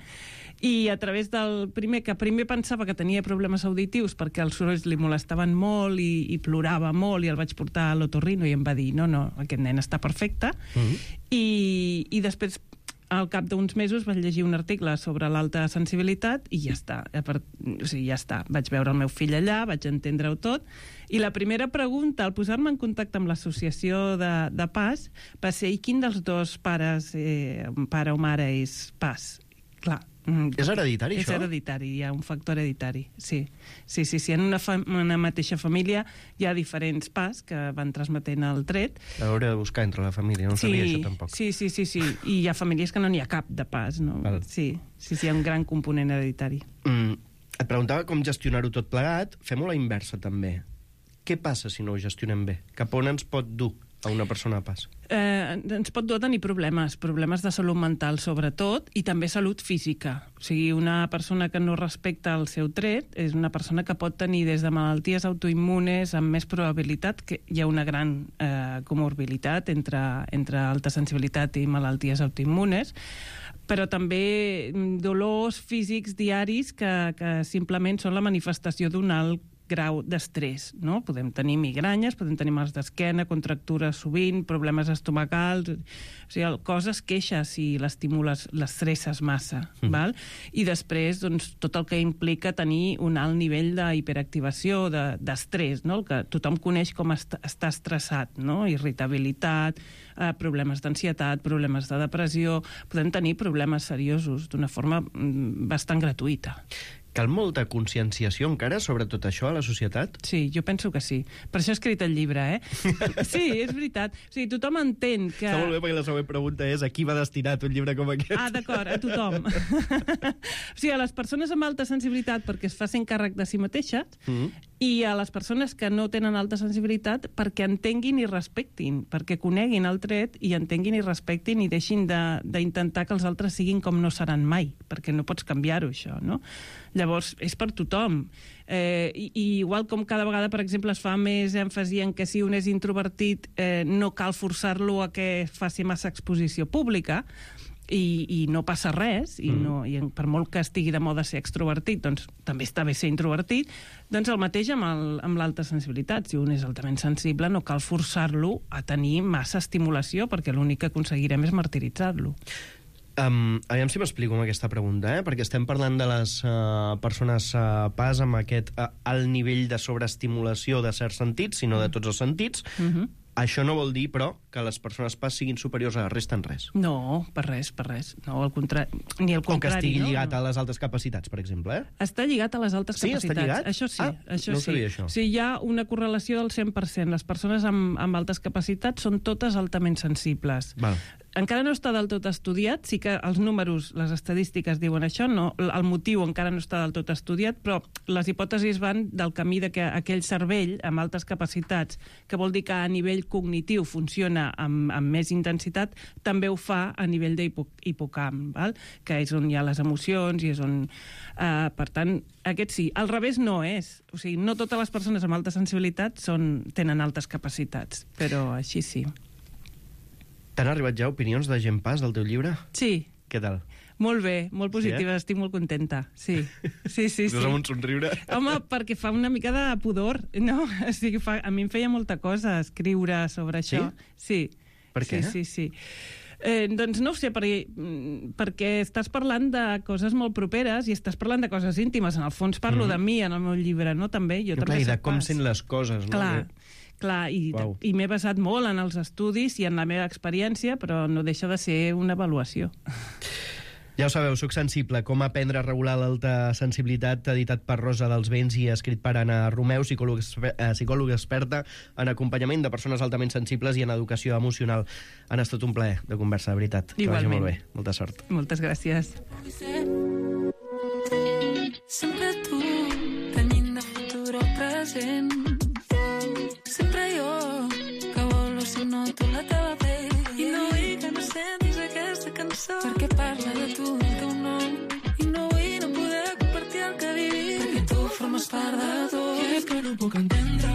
I a través del primer, que primer pensava que tenia problemes auditius perquè els sorolls li molestaven molt i, i plorava molt, i el vaig portar a l'otorrino i em va dir, no, no, aquest nen està perfecte. Mm-hmm. I, i després, al cap d'uns mesos, vaig llegir un article sobre l'alta sensibilitat i ja està. O sigui, ja està. Vaig veure el meu fill allà, vaig entendre-ho tot, i la primera pregunta, al posar-me en contacte amb l'associació de, de Pas, va ser, i quin dels dos pares, eh, pare o mare, és Pas? Clar. És hereditari, és això? És hereditari, hi ha un factor hereditari, sí. Sí, sí, sí. En una, fa una mateixa família hi ha diferents Pas que van transmetent el tret. Hauré de buscar entre la família, no sí, sabia això tampoc. Sí, sí, sí, sí. I hi ha famílies que no n'hi ha cap de Pas, no? Val. Sí, sí, sí, hi ha un gran component hereditari. Mm, et preguntava com gestionar-ho tot plegat. Fem-ho a la inversa, també. Què passa si no ho gestionem bé? Cap on ens pot dur a una persona a Pas? Eh, ens pot dur a tenir problemes, problemes de salut mental sobretot, i també salut física. O sigui, una persona que no respecta el seu tret és una persona que pot tenir des de malalties autoimmunes amb més probabilitat, que hi ha una gran eh, comorbilitat entre, entre alta sensibilitat i malalties autoimmunes, però també dolors físics diaris que, que simplement són la manifestació d'un alt grau d'estrès, no? Podem tenir migranyes, podem tenir mals d'esquena, contractures sovint, problemes estomacals, o sigui, el cos es queixa si l'estimules, l'estresses massa, mm. val? I després, doncs, tot el que implica tenir un alt nivell d'hiperactivació, d'estrès, no? El que tothom coneix com est estar estressat, no? Irritabilitat, eh, problemes d'ansietat, problemes de depressió, podem tenir problemes seriosos d'una forma mm, bastant gratuïta. Cal molta conscienciació encara sobre tot això a la societat? Sí, jo penso que sí. Per això he escrit el llibre, eh? Sí, és veritat. O sigui, tothom entén que... Està molt bé, perquè la següent pregunta és a qui va destinat un llibre com aquest? Ah, d'acord, a tothom. O sigui, a les persones amb alta sensibilitat perquè es facin càrrec de si mateixes, mm-hmm. i a les persones que no tenen alta sensibilitat perquè entenguin i respectin, perquè coneguin el tret i entenguin i respectin i deixin d'intentar que els altres siguin com no seran mai, perquè no pots canviar-ho, això, no? Llavors, és per tothom. Eh, i, I igual com cada vegada, per exemple, es fa més èmfasi en que si un és introvertit eh, no cal forçar-lo a que faci massa exposició pública, i, i no passa res, i, no, i per molt que estigui de moda ser extrovertit, doncs també està bé ser introvertit, doncs el mateix amb, el, amb l'alta sensibilitat. Si un és altament sensible, no cal forçar-lo a tenir massa estimulació, perquè l'únic que aconseguirem és martiritzar-lo. Um, aviam si m'explico amb aquesta pregunta, eh? Perquè estem parlant de les uh, persones uh, pas amb aquest uh, alt nivell de sobreestimulació de certs sentits, sinó de tots els sentits. Uh-huh. Això no vol dir, però, que les persones pas siguin superiors a la resta en res. No, per res, per res. No, al contrari, ni al contrari. O que estigui no? lligat a les altes capacitats, per exemple, eh? Està lligat a les altes sí, capacitats. Està lligat? Això sí, ah, això no sí. sabia, això. Sí, hi ha una correlació del cent per cent. Les persones amb, amb altes capacitats són totes altament sensibles. Val. Encara no està del tot estudiat, sí que els números, les estadístiques diuen això, no, el motiu encara no està del tot estudiat, però les hipòtesis van del camí de que aquell cervell amb altes capacitats, que vol dir que a nivell cognitiu funciona amb, amb més intensitat, també ho fa a nivell d'hipocamp, val? Que és on hi ha les emocions i és on... Eh, per tant, aquest sí. Al revés no és. O sigui, no totes les persones amb alta sensibilitat són, tenen altes capacitats, però així sí. T'han arribat ja opinions de gent pas del teu llibre? Sí. Què tal? Molt bé, molt positiva, sí, eh? Estic molt contenta. Sí, sí, sí. sí. Amb un somriure? Home, perquè fa una mica de pudor, no? O sigui, fa, a mi em feia molta cosa escriure sobre això. Sí? Sí. Per què? Sí, sí, sí. Eh, doncs no ho sé, perquè, perquè estàs parlant de coses molt properes i estàs parlant de coses íntimes. En el fons parlo mm. de mi en el meu llibre, no? També, jo no, també clar, i de com pas. sent les coses, no? Clar. Clar, i, wow. i m'he basat molt en els estudis i en la meva experiència, però no deixa de ser una avaluació. Ja ho sabeu, Soc sensible, com aprendre a regular l'alta sensibilitat, editat per Rosa dels Vents i escrit per Anna Romeu, psicòloga, psicòloga experta en acompanyament de persones altament sensibles i en educació emocional. Han estat un plaer de conversa, de veritat. Igualment. Que vagi molt bé. Molta sort. Moltes gràcies. Sempre tu, tenyint de futur o present. Sempre jo, que vol si no tu la teva pell. I no vull que no sentis aquesta cançó, perquè parla de tu, del teu nom. I no vull no poder compartir el que vivim, perquè tu formes part de tot. I és que no puc entendre,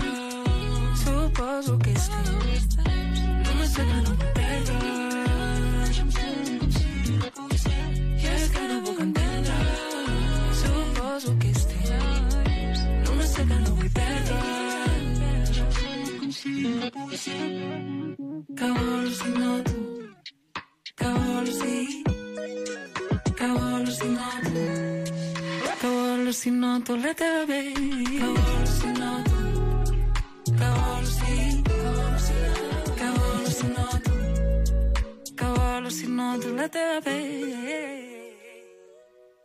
suposo que és temps. Només sé que no puc perdre. I és que no puc entendre, suposo que és temps. Només sé que no vull perdre. Que vols si no tu, que vols si, que vols si no tu, que vols si no tu la teva vell, que vols si no tu, que vols si, que vols si no tu, que vols si no tu la teva vell.